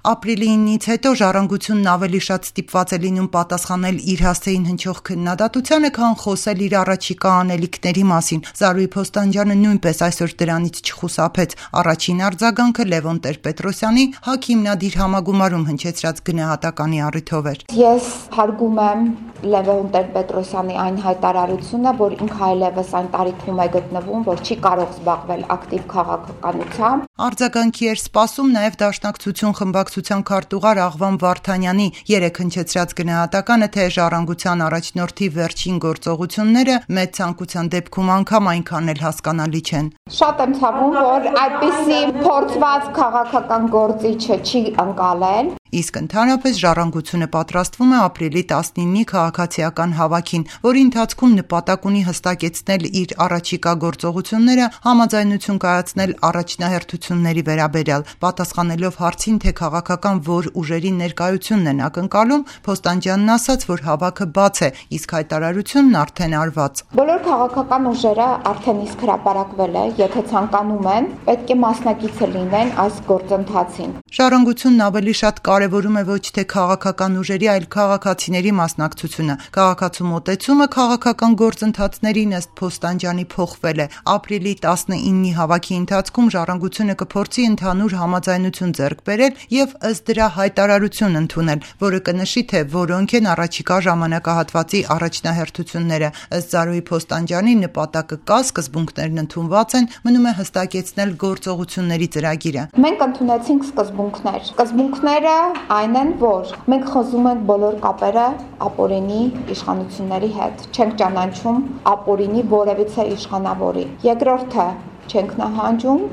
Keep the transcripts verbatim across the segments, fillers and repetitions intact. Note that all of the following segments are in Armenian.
Ապրիլի իննից հետո «Ժառանգությունն» ավելի շատ ստիպված է լինում պատասխանել իր հասցեին հնչող քննադատությանը, քան խոսել իր առաջիկա անելիքների մասին։ Զարուհի Փոստանջյանը նույնպես այսօր դրանից չխուսափեց։ Առաջին արձագանքը Լևոն Տեր-Պետրոսյանի ՀԱԿ հիմնադիր համագումարում հնչեցրած գնահատականի առիթով էր։ Ես հարգում եմ Լևոն Տեր-Պետրոսյանի այն հայտարարությունը, որ ինքը այլևս այն տարիքում է գտնվում, որ չի կարող զբաղվել ակտիվ քաղաքականությամբ։ Արձագանքի էր սպասում նաև Դաշնակցություն խմբակցության քարտուղար Աղվան Վարդանյանի երեկ հնչեցրած գնահատականը, թե «Ժառանգության» առաջնորդի վերջին գործողությունները մեծ ցանկության դեպքում անգամ այնքան էլ հասկանալի չեն։ Շատ եմ ցավում, որ այդպիսի փորձված քաղաքական գործիչը չի ընկալել։ Իսկ ընդհանրապես «Ժառանգությունը» պատրաստվում է ապրիլի տասնինի քաղաքացիական հավաքին, որի ընթացքում նպատակ ունի հստակեցնել իր առաջիկա գործողությունները, համաձայնություն կայացնել առաջնահերթությունների վերաբերյալ։ Պատասխանելով հարցին, թե քաղաքական որ ուժերի ներկայությունն են ակնկալում, Փոստանջյանն ասաց, որ հավաքը բաց է, իսկ հայտարարությունն արդեն արված։ Բոլոր քաղաքական ուժերը արդեն իսկ հրապարակվել է, եթե ցանկանում են, պետք է մասնակիցը լինեն այս գործընթացին։ «Ժառանգությունն» ավելի շատ կարևորում է ոչ թե քաղաքական ուժերի, այլ քաղաքացիների մասնակցությունը։ Քաղաքացու մոտեցումը քաղաքական գործընթացներին ըստ Փոստանջյանի փոխվել է։ Ապրիլի տասնինի հավաքի ընթացքում «Ժառանգությունը» կփորձի ընդհանուր համաձայնություն ձեռք բերել եւ ըստ դրա հայտարարություն ընդունել, որը կնշի, թե որոնք են առաջիկա ժամանակահատվածի առաջնահերթությունները։ Ըստ Զարուհի Փոստանջյանի նպատակը կա, սկզբունքներն ընդունված են, մնում է հստակեցնել գործողությունների ծրագիրը։ Մենք ընդունեցինք սկզբունքներ։ Սկզբունքները այն են, որ մենք խզում ենք բոլոր կապերը ապօրինի իշխանությունների հետ, չենք ճանաչում ապօրինի որևիցե իշխանավորի։ Երկրորդը, չենք նահանջում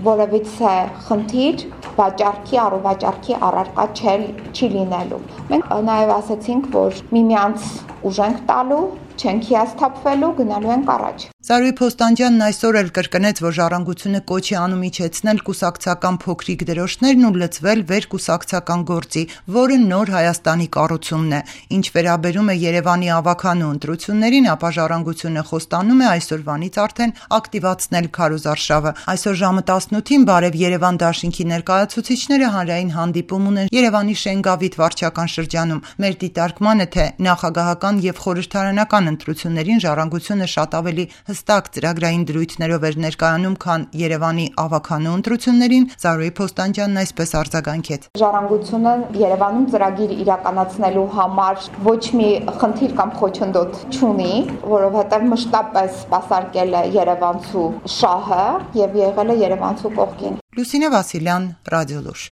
որևիցե խնդիր վաճառքի, առողջարքի առարկա չի լինելու։ Մենք նաև ասացինք, որ միմյանց ուժ ենք տալու, չենք հիասթափվելու, գնալու ենք առաջ։ Զարուհի Փոստանջյանն այսօր էլ կրկնեց, որ «Ժառանգությունը» կոչ է անում իջեցնել կուսակցական փոքրիկ դրոշներն ու լծվել վերկուսակցական գործի, որը նոր Հայաստանի կառուցումն է։ Ինչ վերաբերում է Երևանի ավագանու ընտրություններին, ապա «Ժառանգությունը» խոստանում է այսօրվանից արդեն ակտիվացնել քարոզարշավը։ Այսօր ժամը տասնութին Բարև Երևան դաշինքի ներկայացուցիչները հանրային հանդիպում ունեն Երևանի Շենգավիթ վարչական շրջանում։ Մեր դիտարկմանը, թե նախագահական եւ խորհրդարանական ընտրություններին «Ժառանգությունը» շատ ավելի հստակ ծրագրային դրույթներով էր ներկայանում, քան Երևանի ավագանու ընտրություններին, Զարուհի Փոստանջյանն այսպես արձագանքեց։ «Ժառանգությունը» Երևանում ծրագիր իրականացնելու համար ոչ մի խնդիր կամ խոչընդոտ չունի, որովհետև մշտապես սպասարկել է երևանցու շահը եւ եղել է երևանցու կողքին։ Լուսինե Վասիլյան, Ռադիոլուր։